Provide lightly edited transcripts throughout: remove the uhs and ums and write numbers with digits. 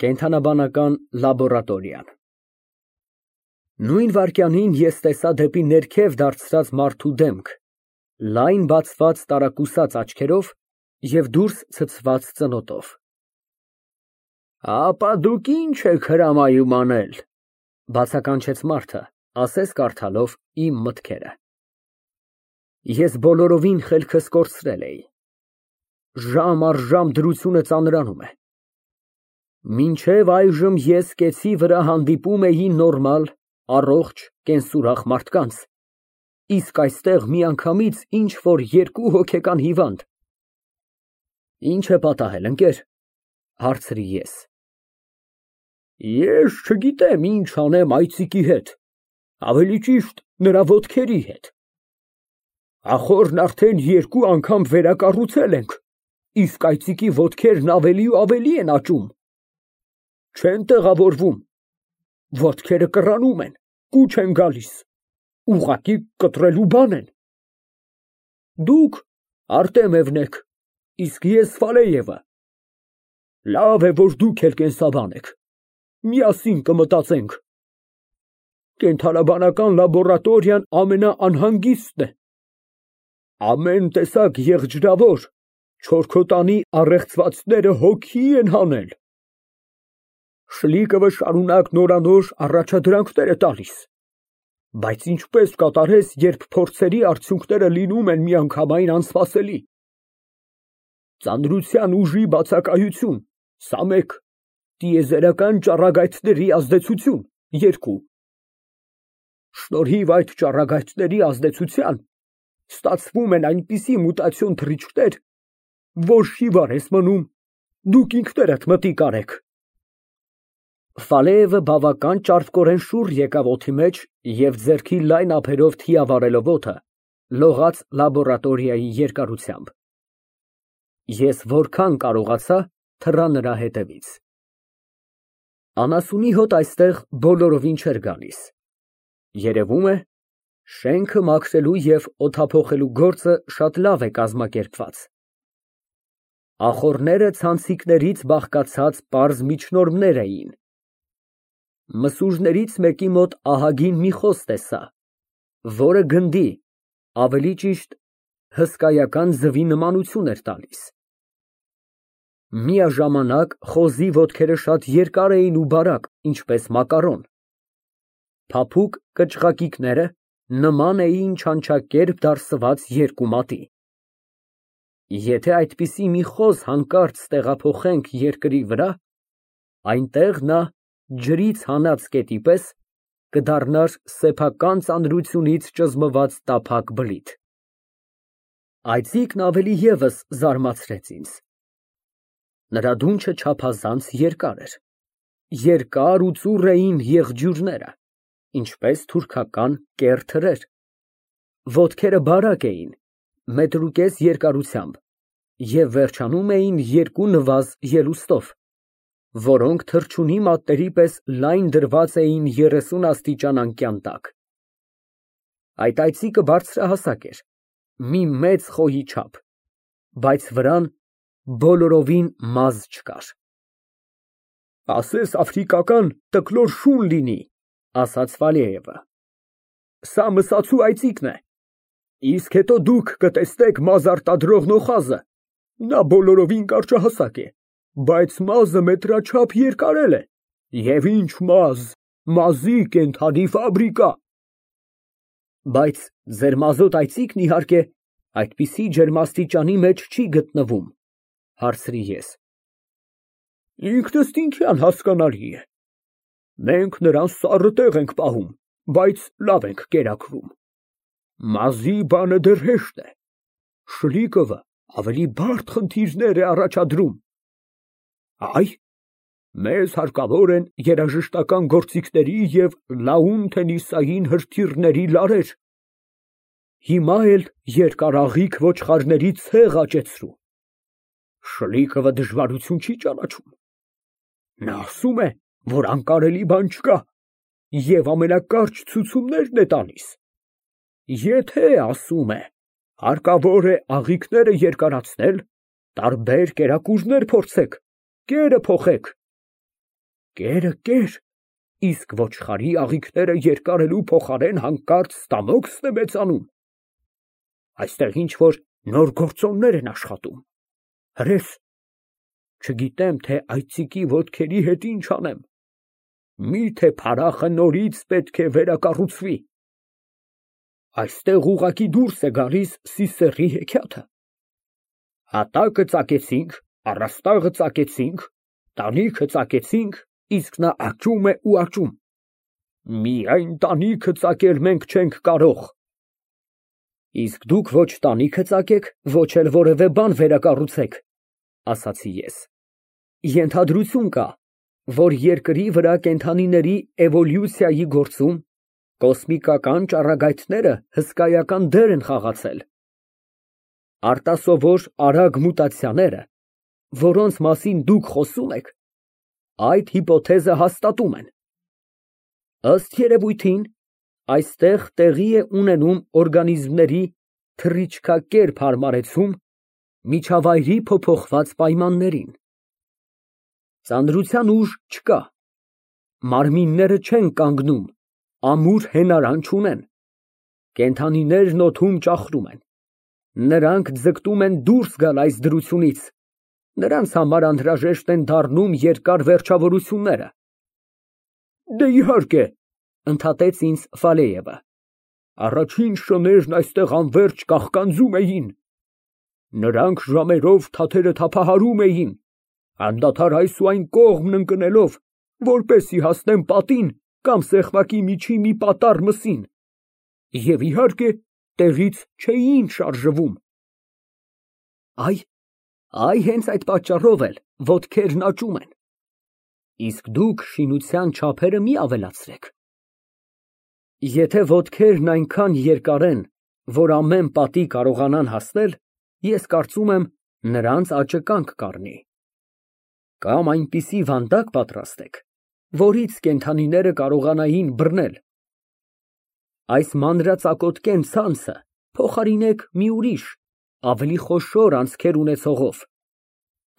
Կենդանաբանական լաբորատորիան։ Նույն վայրկյանին ես տեսա դեպի ներքև դարձրած մարդու դեմք, լայն բացված տարակուսած աչքերով և դուրս ցցված ծնոտով։ Ապա դուք ի՞նչ եք հրամայում անել, բացականչեց մարդը, ասես կարդալով իմ մտքերը։ Ես բոլորովին խելքս կորցրել էի։ Ժամ առ ժամ դրությունը ծանրանում է։ Մինչև այժմ ես կեցի վրա հանդիպում էի նորմալ, առողջ, կենսուրախ մարդկանց, իսկ այստեղ միանգամից ինչ֊որ երկու հոգեկան հիվանդ։ Ինչ է պատահել, ընկեր, հարցրի ես։ Ես չգիտեմ ինչ անեմ այծիկի հետ, ավելի ճիշտ նրա ոտքերի հետ։ Ախորն արդեն 2 անգամ վերակառուցել ենք, իսկ այծիկի ոտքերն ավելի ու ավելի են աճում։ Չեն տեղավորվում, ոտքերը կռանում են, կուչ են գալիս, ուղղակի կտրելու բան են։ Դուք Արտեմևն եք, իսկ ես Ֆալեևը։ Լավ է, որ դուք էլ կենսաբան եք, միասին կմտածենք։ Կենդանաբանական լաբորատորիան ամենաանհանգիստն է։ Ամեն տեսակ եղջրավոր, չորքոտանի առեղծվածները հոգի են հանել։ Շլիկովը շարունակ նորանոր առաջադրանքներ է տալիս, բայց ինչպես կատարես, երբ փորձերի արդյունքները լինում են միանգամայն անսպասելի։ Ծանրության ուժի բացակայություն, սա 1, տիեզերական ճառագայթների ազդեցություն, 2։ Շնորհիվ այդ ճառագայթների ազդեցության ստացվում են այնպիսի մուտացիոն թռիչքներ, որ շիվար ես մնում, դուք ինքներդ մտիկ արեք։ Ֆալեևը բավական ճարպկորեն շուռ եկավ օդի մեջ և ձեռքի լայն ափերով թիավարելով օդը, լողաց լաբորատորիայի երկարությամբ։ Ես որքան կարողացա, թռա նրա հետևից։ Անասունի հոտ այստեղ բոլորովին չէր գալիս։ Երևում է, շենքը մաքրելու և օդափոխելու գործը շատ լավ է կազմակերպված։ Ախոռները ցանցիկներից բաղկացած պարզ միջնորմներ էին։ Մսուրներից մեկի մոտ ահագին մի խոզ տեսա, որը գնդի, ավելի ճիշտ հսկայական ձվի նմանություն էր տալիս։ Միաժամանակ խոզի ոտքերը շատ երկար էին ու բարակ, ինչպես մակարոն։ Փափուկ կչղակիքները նման էին չանչակերպ դարսված 2 մատի։ Եթե այդպիսի մի խոզ հանկարծ տեղափոխենք երկրի վրա, այնտեղ նա ջրից հանած կետի պես կդառնար սեփական ծանրությունից ճզմված տափակ բլիթ։ Այծիկն ավելի ևս զարմացրեց ինձ։ Նրա դունչը չափազանց երկար էր։ Երկար ու ծուռ էին եղջյուրները, ինչպես թուրքական կեռ թրեր։ Ոտքերը բարակ էին, 1.5 մետր երկարությամբ և վերջանում էին 2 նվազ ելուստով, որոնք թռչունի մատների պես լայն դրված էին 30 աստիճան անկյան տակ։ Այդ այծիկը բարձրահասակ էր, մի մեծ խոյի չափ, բայց վրան բոլորովին մազ չկար։ Ասես աֆրիկական տկլոր շուն լինի, ասաց Ֆալեևը։ Սա մսացու այծիկն է, իսկ հետո դուք կտեսնեք մազ արտադրող նոխազը, նա բոլորովին կարճահասակ է, բայց մազը մետրաչափ երկարել է, և ինչ մազ, մազի կենդանի ֆաբրիկա։ Բայց ձեր մազոտ այծիկն, իհարկե, այդպիսի ջերմաստիճանի մեջ չի գտնվում, հարցրի ես։ Ինքնըստինքյան հասկանալի է։ Մենք նրան սառը տեղ ենք պահում, բայց լավ ենք կերակրում։ Մազի բանը դեռ հեշտ է, շլիկովը ավելի բարդ խնդիրներ է առաջադրում։ Այ, մեզ հարկավոր են երաժշտական գործիքների և լաուն թենիսային հրթիռների լարեր, հիմա էլ երկարաղիկ ոչխարների ցեղ աճեցրու։ Շլիկովը դժվարություն չի ճանաչում։ Նա ասում է, որ անկարելի բան չկա և ամենակարճ ցուցումներն է տալիս։ Եթե, ասում է, հարկավոր է աղիքները երկարացնել, տարբեր կերակուրներ փորձեք, կերը փոխեք։ Կերը կեր, իսկ ոչխարի աղիքները երկարելու փոխարեն հանկարծ ստամոքսն է մեծանում։ Այստեղ ինչ֊որ նոր գործոններ են աշխատում։ Հրես, չգիտեմ, թե այծիկի ոտքերի հետ ինչ անեմ։ Միթե փարախը նորից պետք է վերակառուցվի։ Այստեղ ուղղակի դուրս է գալիս Սիսեռի հեքիաթը։ Հատակը ծակեցինք, առաստաղը ծակեցինք, տանիքը ծակեցինք, իսկ նա աճում է ու աճում։ Միայն տանիքը ծակել մենք չենք կարող։ Իսկ դուք ոչ տանիքը ծակեք, ոչ էլ որևէ բան վերակառուցեք, ասացի ես։ Ենթադրություն կա, որ երկրի վրա կենդանիների էվոլյուցիայի գործում կոսմիկական ճառագայթները հսկայական դեր են խաղացել։ Արտասովոր արագ մուտացիաները, որոնց մասին դուք խոսում եք, այդ հիպոթեզը հաստատում են։ Ըստ երևույթին, այստեղ տեղի է ունենում օրգանիզմների թռիչքակերպ հարմարեցում միջավայրի փոփոխված պայմաններին։ Ծանրության ուժ չկա, մարմինները չեն կանգնում, ամուր հենարան չունեն, կենդանիներն օդում ճախրում են, նրանք ձգտում են դուրս գալ այս դրությունից, նրանց համար անհրաժեշտ են դառնում երկար վերջավորությունները։ Դե իհարկե, ընդհատեց ինձ Ֆալեևը, առաջին շներն այստեղ անվերջ կաղկանձում էին, նրանք ժամերով թաթերը թափահարում էին, անդադար այս ու այն կողմն ընկնելով, որպեսզի հասնեն պատին կամ սեղմակի միջի մի պատառ մսին, և իհարկե տեղից չէին շարժվում։ Այ հենց այդ պատճառով էլ ոտքերն աճում են։ Իսկ դուք շինության չափերը մի ավելացրեք։ Եթե ոտքերն այնքան երկար են, որ ամեն պատի կարողանան հասնել, ես կարծում եմ, նրանց աճը կանգ կառնի։ Կամ այնպիսի վանդակ պատրաստեք, որից կենդանիները կարողանային բռնել։ Այս մանրածակոտկեն ցանցը փոխարինեք մի ուրիշ, ավելի խոշոր անցքեր ունեցողով,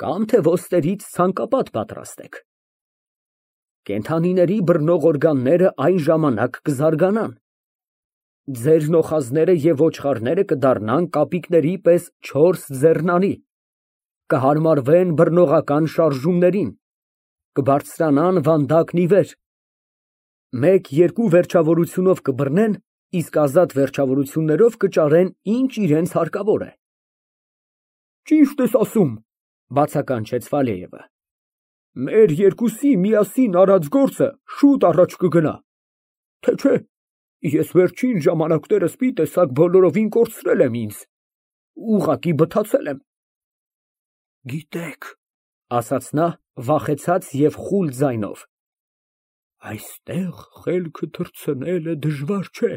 կամ թե ոստրից ցանկապատ պատրաստեք։ Կենդանիների բռնող օրգանները այն ժամանակ կզարգանան։ Ձեր նոխազները և ոչխարները կդառնան կապիկների պես 4 ձեռնանի, կհարմարվեն բռնողական շարժումներին, կբարձրանան վանդակն ի վեր, 1-2 վերջավորությունով կբռնեն, իսկ ազատ վերջավորություններով կճարեն, ինչ իրենց հարկավոր է։ Ճիշտ ես ասում, բացականչեց Ֆալեևը։ Մեր երկուսի միասին արած գործը շուտ առաջ կգնա, թե չէ, ես վերջին ժամանակներս մի տեսակ բոլորովին կորցրել եմ ինձ, ուղղակի բթացել եմ։ Գիտեք, ասաց նա վախեցած և խուլ ձայնով, այստեղ խելքը թռցնելը դժվար չէ,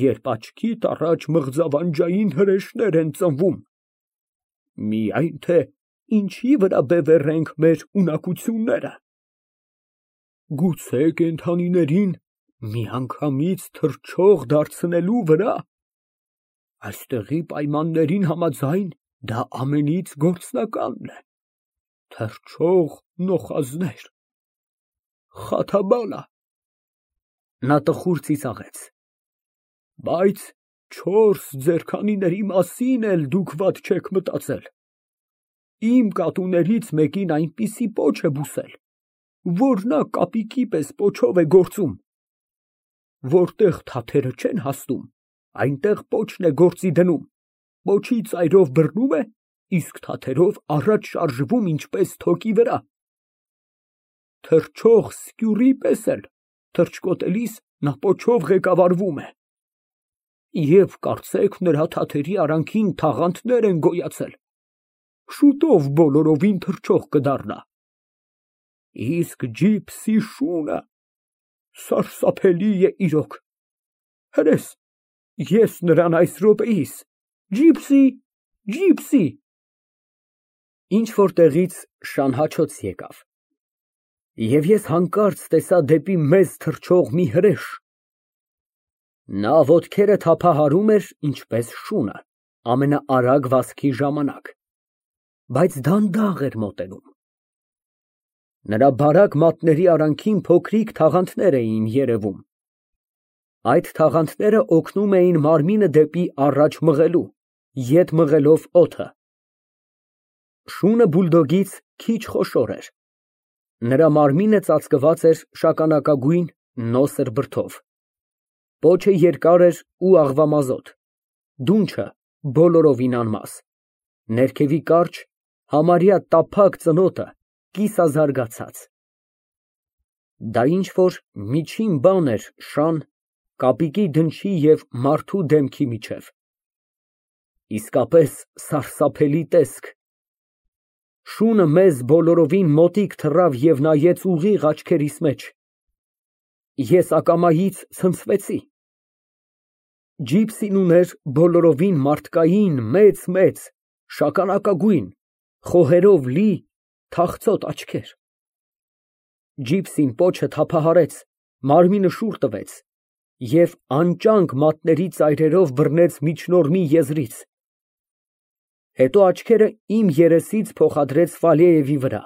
երբ աչքիդ առաջ մղձավանջային հրեշներ են ծնվում, միայն թե ինչի վրա բևեռենք մեր ունակությունները։ Գուցե կենդանիներին միանգամից թռչող դարձնելու վրա։ Այստեղի պայմաններին համաձայն դա ամենից գործնականն է։ Թռչող նոխազներ։ Խաթաբալա։ Նա տխուր ծիծաղեց։ Բայց 4 ձեռքանիների մասին էլ դուք վատ չեք մտածել։ Իմ կատուներից մեկին այնպիսի պոչ է բուսել, որ նա կապիկի պես պոչով է գործում։ Որտեղ թաթերը չեն հասնում, այնտեղ պոչն է գործի դնում, պոչի ծայրով բռնում է, իսկ թաթերով առաջ շարժվում ինչպես թոկի վրա։ Թռչող սկյուռի պես էլ թռչկոտելիս նա պոչով ղեկավարվում է։ Եվ կարծեք նրա թաթերի արանքին թաղանթներ են գոյացել, շուտով բոլորովին թռչող կդառնա։ Իսկ ջիպսի շունը սարսափելի է իրոք։ Հրես, ես նրան այս րոպեիս, ջիպսի։ Ինչ-որ տեղից շանհաչոց եկավ, և ես հանկարծ տեսա դեպի մեզ թռչող մի հրեշ։ Նա ոտքերը թափահարում էր ինչպես շունը, ամենաարագ վազքի ժամանակ, բայց դանդաղ էր մոտենում։ Նրա բարակ մատների արանքին փոքրիկ թաղանթներ էին երևում։ Այդ թաղանթները օգնում էին մարմինը դեպի առաջ մղելու, ետ մղելով օդը։ Շունը բուլդոգից քիչ խոշոր էր։ Նրա մարմինը ծածկված էր շագանակագույն նոսր բրդով։ Պոչը երկար էր ու աղվամազոտ, դունչը բոլորովին անմաս, ներքևի կարճ, համարյա տափակ ծնոտը կիսազարգացած։ Դա ինչ-որ միջին բան էր շան, կապիկի դնչի և մարդու դեմքի միջև։ Իսկապես սարսափելի տեսք։ Շունը մեզ բոլորովին մոտիկ թռավ և նայեց ուղիղ աչքերիս մեջ։ Ես ակամայից ցնցվեցի։ Ջիպսին ուներ բոլորովին մարդկային մեծ, շագանակագույն, խոհերով լի թախծոտ աչքեր։ Ջիպսին պոչը թափահարեց, մարմինը շուռ տվեց և անճանք մատների ծայրերով բռնեց միջնորմի եզրից։ Հետո աչքերը իմ երեսից փոխադրեց Ֆալեևի վրա։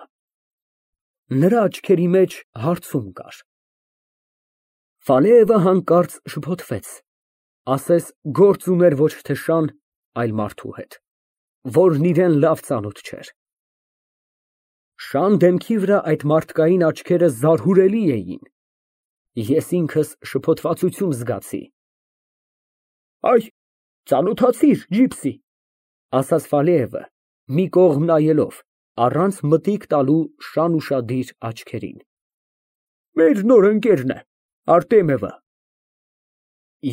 Նրա աչքերի մեջ հարցում կար։ Ֆալեևը հանկարծ շփոթվեց, ասես գործ ուներ ոչ թե շան, այլ մարդու հետ, որն իրան լավ ծանոթ չէր։ Շան դեմքի վրա այդ մարդկային աչքերը զարհուրելի էին։ Ես ինքս շփոթվածություն զգացի։ Այ, ծանոթացիր, Ջիպսի, ասաց Ֆալեևը, մի կողմ նայելով, առանց մտիկ տալու շան ուշադիր աչքերին։ Մեր նոր ընկերն է, Արտեմևը։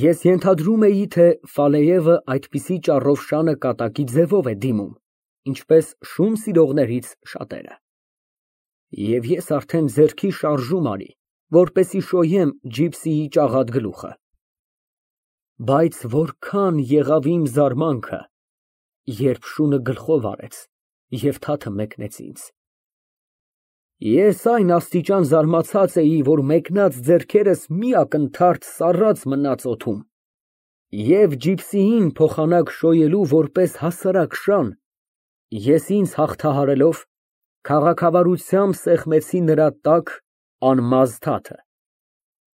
Ես ենթադրում էի, թե Ֆալեևը այդպիսի ճառով շանը կատակի ձևով է դիմում, ինչպես շուն սիրողներից շատերը։ Եվ ես արդեն ձեռքի շարժում արի, որպեսզի շոյեմ Ջիպսիի ճաղատ գլուխը։ Բայց որքան եղավ իմ զարմանքը, երբ շունը գլխով արեց և թաթը մեկնեց ինձ։ Ես այն աստիճան զարմացած էի, որ մեկնած ձեռքերս մի ակնթարթ սառած մնաց օդում, և Ջիպսիին փոխանակ շոյելու որպես հասարակ շան, ես ինձ հաղթահարելով, քաղաքավարությամբ սեղմեցի նրա տաք, անմազ թաթը,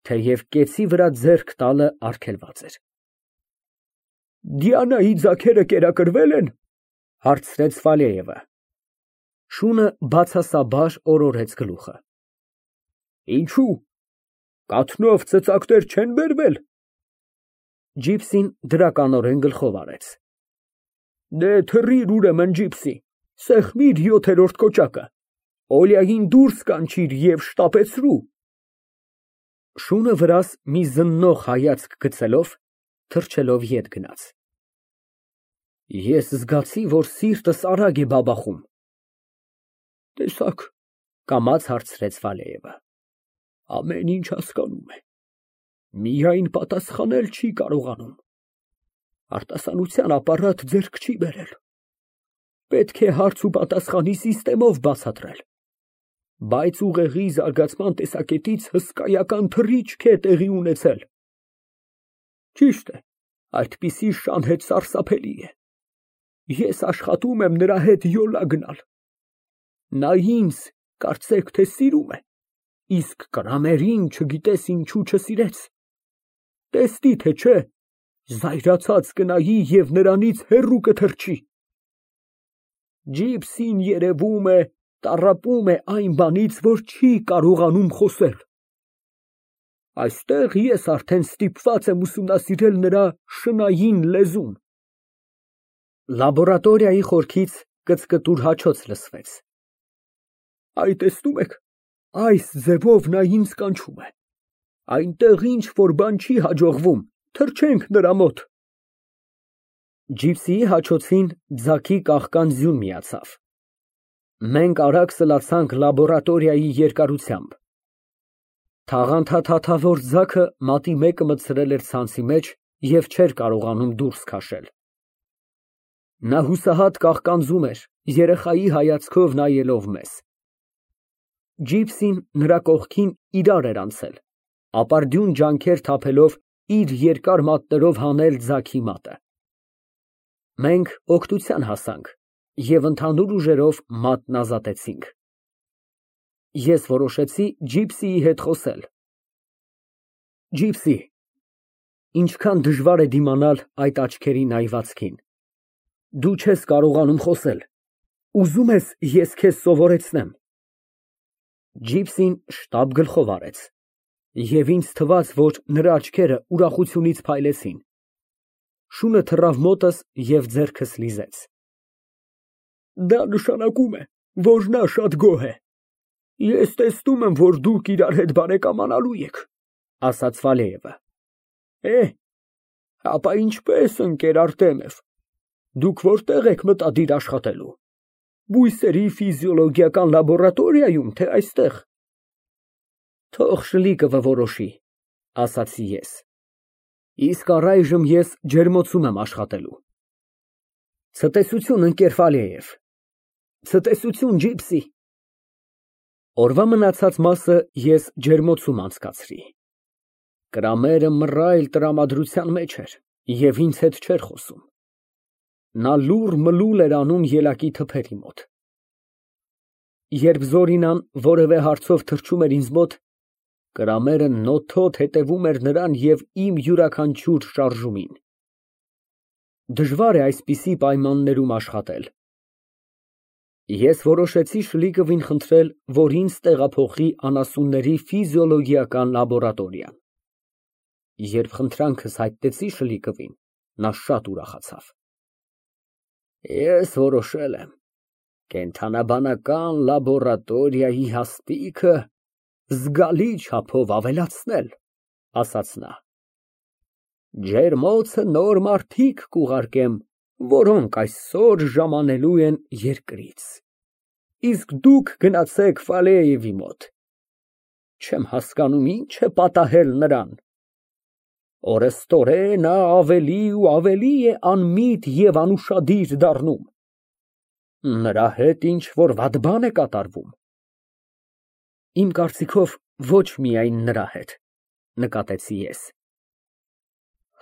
թեև կեցի վրա ձեռք տալը արգելված էր։ Դիանայի ձագերը կերակրվե՞լ են, հարցրեց Ֆալեևը։ Շունը բացասաբար օրորեց գլուխը։ Ինչո՞ւ, կաթնով ծծակներ չեն բերվել։ Ջիպսին դրականորեն գլխով արեց։ Դե թռիր ուրեմն, Ջիպսի, սեղմիր 7-րդ կոճակը, Օլիային դուրս կանչիր և շտապեցրու։ Շունը վրաս մի զննող հայացք գցելով, թռչելով ետ գնաց։ Ես զգացի, որ սիրտս արագ է բաբախում։ Տեսա՞ք, կամաց հարցրեց Ֆալեևը։ Ամեն ինչ հասկանում է, միայն պատասխանել չի կարողանում։ Արտասանության ապարատ ձեռք չի բերել։ Պետք է հարց ու պատասխանի սիստեմով բացատրել։ Բայց ուղեղի զարգացման տեսակետից հսկայական թռիչք է տեղի ունեցել։ Ճիշտ է, այդպիսի շան հետ սարսափելի է։ Ես աշխատում եմ նրա հետ յոլա գնալ։ Նա ինձ, կարծեք թե սիրում է, իսկ Կրամերին չգիտես ինչու չսիրեց։ Տեսնի թե չէ, զայրացած կնայի և նրանից հեռու կթռչի։ Ջիպսին երևում է, տառապում է այն բանից, որ չի կարողանում խոսել։ Այստեղ ես արդեն ստիպված եմ ուսումնասիրել նրա շնային լեզուն։ Լաբորատորիայի խորքից կծկտուր հաչոց լսվեց։ Այ տեսնում եք, այս ձևով նա ինձ կանչում է։ Այնտեղ ինչ որ բան չի հաջողվում, թռչենք նրա մոտ։ Ջիպսիի հաչոցին ձագի կաղկան ձյուն միացավ։ Մենք արագ սլացանք լաբորատորիայի երկարությամբ։ Թաղանթաթաթավոր ձագը մատի մեկը մտցրել էր ցանցի մեջ և չէր կարողանում դուրս քաշել։ Նա հուսահատ կաղկանձում էր, երեխայի հայացքով նայելով մեզ։ Ջիպսին նրա կողքին իրար էր անցել, ապարդյուն ջանքեր թափելով իր երկար մատներով հանել ձագի մատը։ Մենք օգնության հասանք և ընդհանուր ուժերով մատն ազատեցինք։ Ես որոշեցի Ջիպսիի հետ խոսել։ Ջիպսի, ինչքան դժվար է դիմանալ այդ աչքերի նայվածքին։ Դու չես կարողանում խոսել։ Ուզում ես ես քեզ սովորեցնեմ։ Ջիպսին շտապ գլխով արեց, և ինձ թվաց, որ նրա աչքերը ուրախությունից փայլեցին։ Շունը թռավ մոտս և ձեռքս լիզեց։ Դա նշանակում է, որ նա շատ գոհ է։ Ես տեսնում եմ, որ դուք իրար հետ բարեկամանալու եք, ասաց Ֆալեևը։ Ապա ինչպես, ընկեր Արտեմև, դուք որտեղ եք մտադիր աշխատելու։ Բույսերի ֆիզիոլոգիական լաբորատորիայում, թե այստեղ։ Թող Շլիկովը որոշի, ասացի ես։ Իսկ առայժմ ես ջերմոցում եմ աշխատելու։ Ցտեսություն, ընկեր Ֆալեև։ Ցտեսություն, Ջիպսի։ Օրվա մնացած մասը ես ջերմոցում անցկացրի։ Կրամերը մռայլ տրամադրության մեջ էր և ինձ հետ չէր խոսում։ Նա լուռ-մլուլ էր անում ելակի թփերի մոտ։ Երբ Զորինան որևէ հարցով թռչում էր ինձ մոտ, Կրամերը նոթոթ հետևում էր նրան և իմ յուրաքանչյուր շարժումին։ Դժվար է այսպիսի պայմաններում աշխատել։ Ես որոշեցի Շլիկովին խնդրել, որ ինձ տեղափոխի անասունների ֆիզիոլոգիական լաբորատորիա։ Երբ խնդրանքս հայտնեցի Շլիկովին, նա շատ ուրախացավ։ Ես որոշել եմ կենդանաբանական լաբորատորիայի հաստիքը զգալի չափով ավելացնել, ասաց նա։ Ջերմոցը նոր մարդիկ կուղարկեմ, որոնք այսօր ժամանելու են երկրից։ Իսկ դուք գնացեք Ֆալեևի մոտ։ Չեմ հասկանում, ինչ է պատահել նրան։ Օրեստորեն նա ավելի ու ավելի է անմիտ և անուշադիր դառնում։ Նրա հետ ինչ-որ վատ բան է կատարվում։ Իմ կարծիքով, ոչ միայն նրա հետ, նկատեցի ես։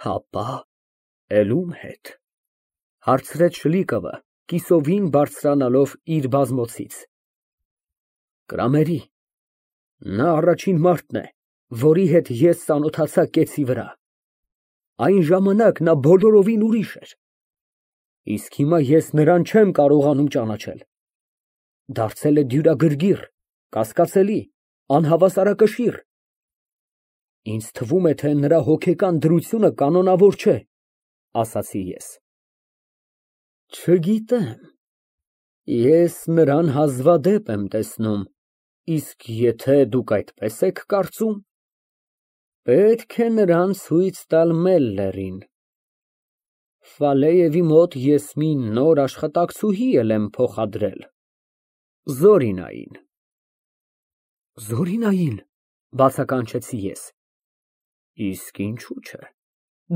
Հապա, էլ ում հետ, հարցրեց Շլիկովը, կիսովին բարձրանալով իր բազմոցից։ Կրամերի։ Նա առաջին մարդն է, որի հետ ես ծանոթացա կեցի վրա։ Այն ժամանակ նա բոլորովին ուրիշ էր։ Իսկ հիմա ես նրան չեմ կարողանում ճանաչել։ Դարձել է դյուրագրգիռ, կասկածելի, անհավասարակշիռ։ Ինձ թվում է, թե նրա հոգեկան դրությունը կանոնավոր չէ, ասացի ես։ Չգիտեմ, ես նրան հազվադեպ եմ տեսնում, իսկ եթե դուք այդպես եք կարծում, պետք է նրան ցույց տալ Մելլերին։ Ֆալեևի մոտ ես մի նոր աշխատակցուհի եմ փոխադրել, Զորինային։ Զորինայի՞ն, բացականչեցի ես։ Իսկ ինչու՞ չէ,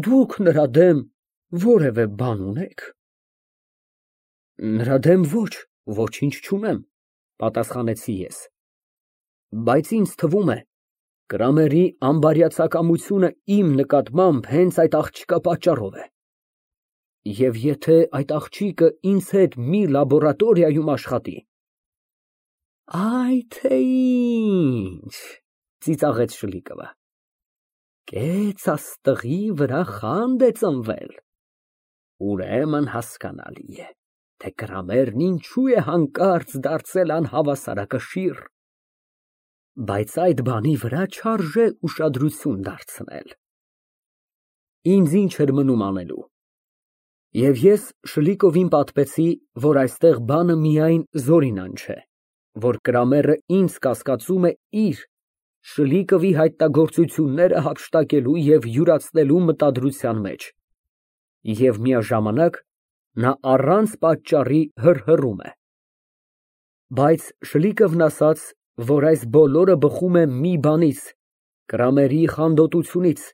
դուք նրա դեմ որևէ բան ունե՞ք։ Նրա դեմ ոչինչ չունեմ, պատասխանեցի ես։ Բայց ինձ թվում է, Կրամերի անբարյացակամությունը իմ նկատմամբ հենց այդ աղջկա պատճառով է։ Եվ եթե այդ աղջիկը ինձ հետ մի լաբորատորիայում աշխատի։ Այ թե ինչ, ծիծաղեց Շլիկովը։ Կեց աստղի վրա խանդ է ծնվել։ Ուրեմն հասկանալի է, թե Կրամերն ինչու է հանկարծ դարձել անհավասարակշիռ։ Բայց այդ բանի վրա չարժե ուշադրություն դարձնել։ Ինձ ինչ էր մնում անելու։ Եվ ես Շլիկովին պատմեցի, որ այստեղ բանը միայն Զորինան չէ, որ Կրամերը ինձ կասկածում է իր, Շլիկովի հայտնագործությունները հափշտակելու և յուրացնելու մտադրության մեջ, և միաժամանակ նա առանց պատճառի հռհռում է։ Բայց Շլիկովն ասաց, որ այս բոլորը բխում է մի բանից, Կրամերի խանդոտությունից։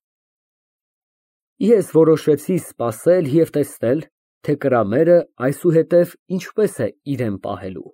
Ես որոշեցի սպասել և տեսնել, թե Կրամերը այսուհետև ինչպես է իրեն պահելու։